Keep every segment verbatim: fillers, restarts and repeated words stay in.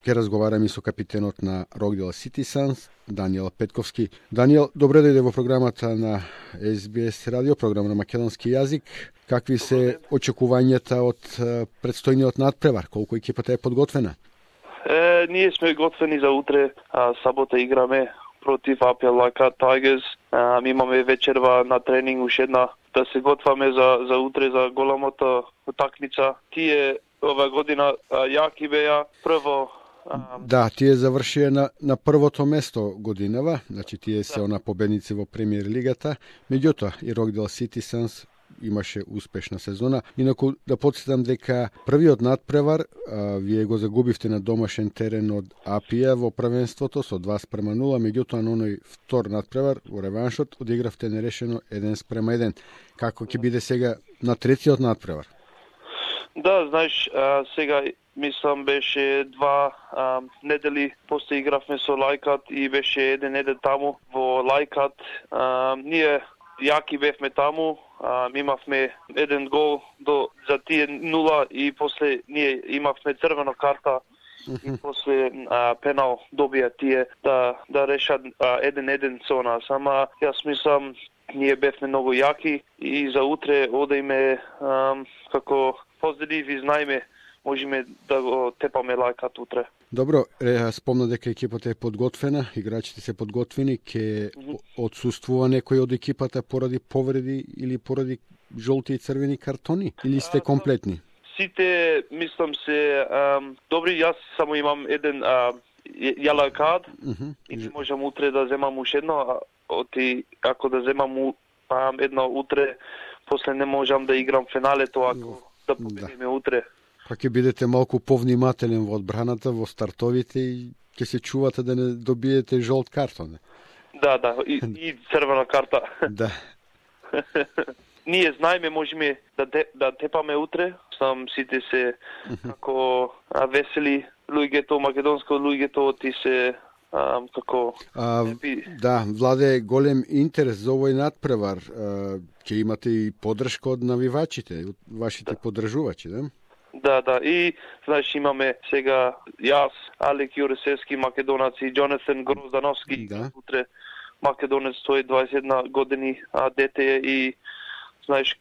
Ке разговараме со капитенот на Рокдел Сити Санс, Даниел Петковски. Даниел, добре дојде во програмата на Ес Би Ес радио, програма на македонски јазик. Какви се очекувањата од предстојниот надпревар? Колку екипата е подготвена? Е, ние сме готвени за утре. А, сабота играме против Апија Лајкат Тайгерс. А, имаме вечерва на тренинг уште една да се готваме за за утре за големата утакмица. Тие ова година а, јаки беа прво. А... Да, тие завршија на на првото место годинава, значи тие се да. она победници во премиер лигата. Меѓутоа и Рокдел Сити Санс имаше успешна сезона. Инаку да потсетам дека првиот надпревар а, вие го загубивте на домашен терен од Апија во првенството со два спрема нула, меѓутоа на оној втор надпревар во реваншот одигравте нерешено еден спрема еден. Како ќе биде сега на третиот надпревар? Да, знаеш, а, сега мислам беше два а, недели после игравме со Лајкат и беше еден еден таму во Лајкат. А, ние јаки бевме таму, а, имавме еден гол до за тие нула и после ние имавме црвена карта и после а, пенал добија тие да да решат еден еден со нас. Ама јас мислам ние бевме многу јаки и за утре одеме а, како позитив и знаеме можеме да го тепаме Лајкат утре. Добро, спомна дека екипата е подготвена, играчите се подготвени, ке mm -hmm. отсуствува некој од екипата поради повреди или поради жолти и црвени картони, или сте комплетни? Сите, мислам се, ам, добри, јас само имам еден јелоу кард mm -hmm. и не можам утре да земам уште едно, оти ако да земам ам, едно утре, после не можам да играм финалето ако mm. да победиме да. утре. Па ќе бидете малку повнимателен во одбраната, во стартовите и ќе се чувате да не добиете жолт картон. Да, да, и, и црвена карта. Да. Ние знаеме можеме да де, да тепаме утре, сам сите се како весели луѓето, македонско луѓето ти се а, како а, да, владе голем интерес за овој надпревар. Ќе имате и поддршка од навивачите, од вашите да. поддржувачи, да? Да, да. И, знаеш, имаме сега јас, Алек Јуресевски, македонец и Джонатан Гроздановски, да. утре македонец, тој дваесет и една години, а дете е и, знаеш,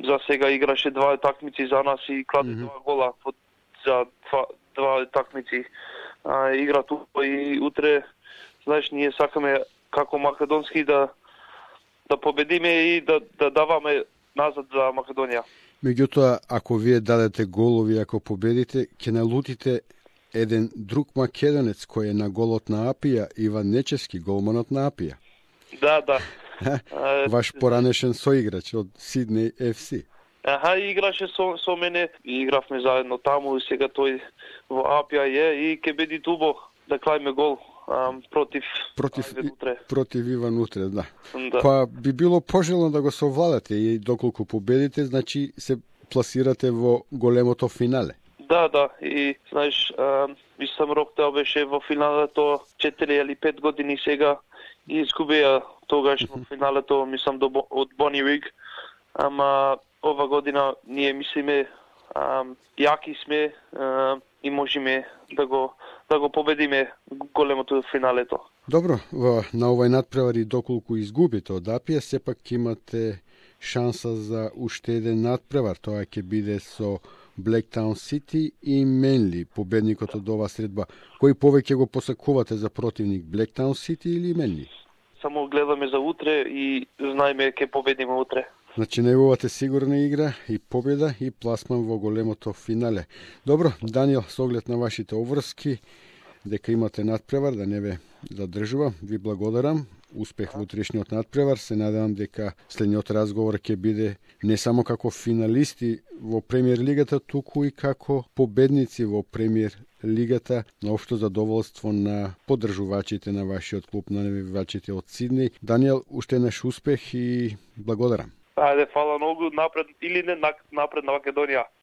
за сега играше два такмици за нас и кладе mm -hmm. два гола за два, два такмици. А, игра тука и утре, знаеш, ние сакаме како македонски да да победиме и да, да даваме назад за Македонија. Меѓутоа, ако вие дадете голови, ако победите, ќе налутите еден друг македонец кој е на голот на Апија, Иван Нечевски, голманот на Апија. Да, да. Ваш поранешен соиграч од Сиднеј Еф Си. Аха, играше со, со мене, и игравме заедно таму, и сега тој во Апија е и ќе биде тубо да клајме гол. Um, против против, утре. против Иван утре, да. да. Па би било пожелно да го совладате и доколку победите, значи се пласирате во големото финале. Да, да, и знаеш, мислам Рокдел беше во финалето четири или пет години сега и изгубија тогаш во финалето, мислам до, од Бони Риг. Ама ова година ние мислиме ам, јаки сме ам, и можеме да го да го победиме големото финалето. Добро, на овој надпревар и доколку изгубите од Апија, сепак имате шанса за уште еден надпревар. Тоа ќе биде со Блектаун Сити и Менли, победникот од оваа средба. Кој повеќе го посакувате за противник, Блектаун Сити или Менли? Само гледаме за утре и знаеме ќе победиме утре. Значи, најавувате сигурна игра и победа и пласман во големото финале. Добро, Даниел, со оглед на вашите обврски, дека имате надпревар, да не ве задржува, ви благодарам. Успех во утрешниот надпревар. Се надевам дека следниот разговор ќе биде не само како финалисти во премиер лигата, туку и како победници во премиер лигата, на општо задоволство на поддржувачите на вашиот клуб, на навивачите од Сиднеј. Даниел, уште еднаш успех и благодарам. Ајде, фала многу, напред или не напред на Македонија.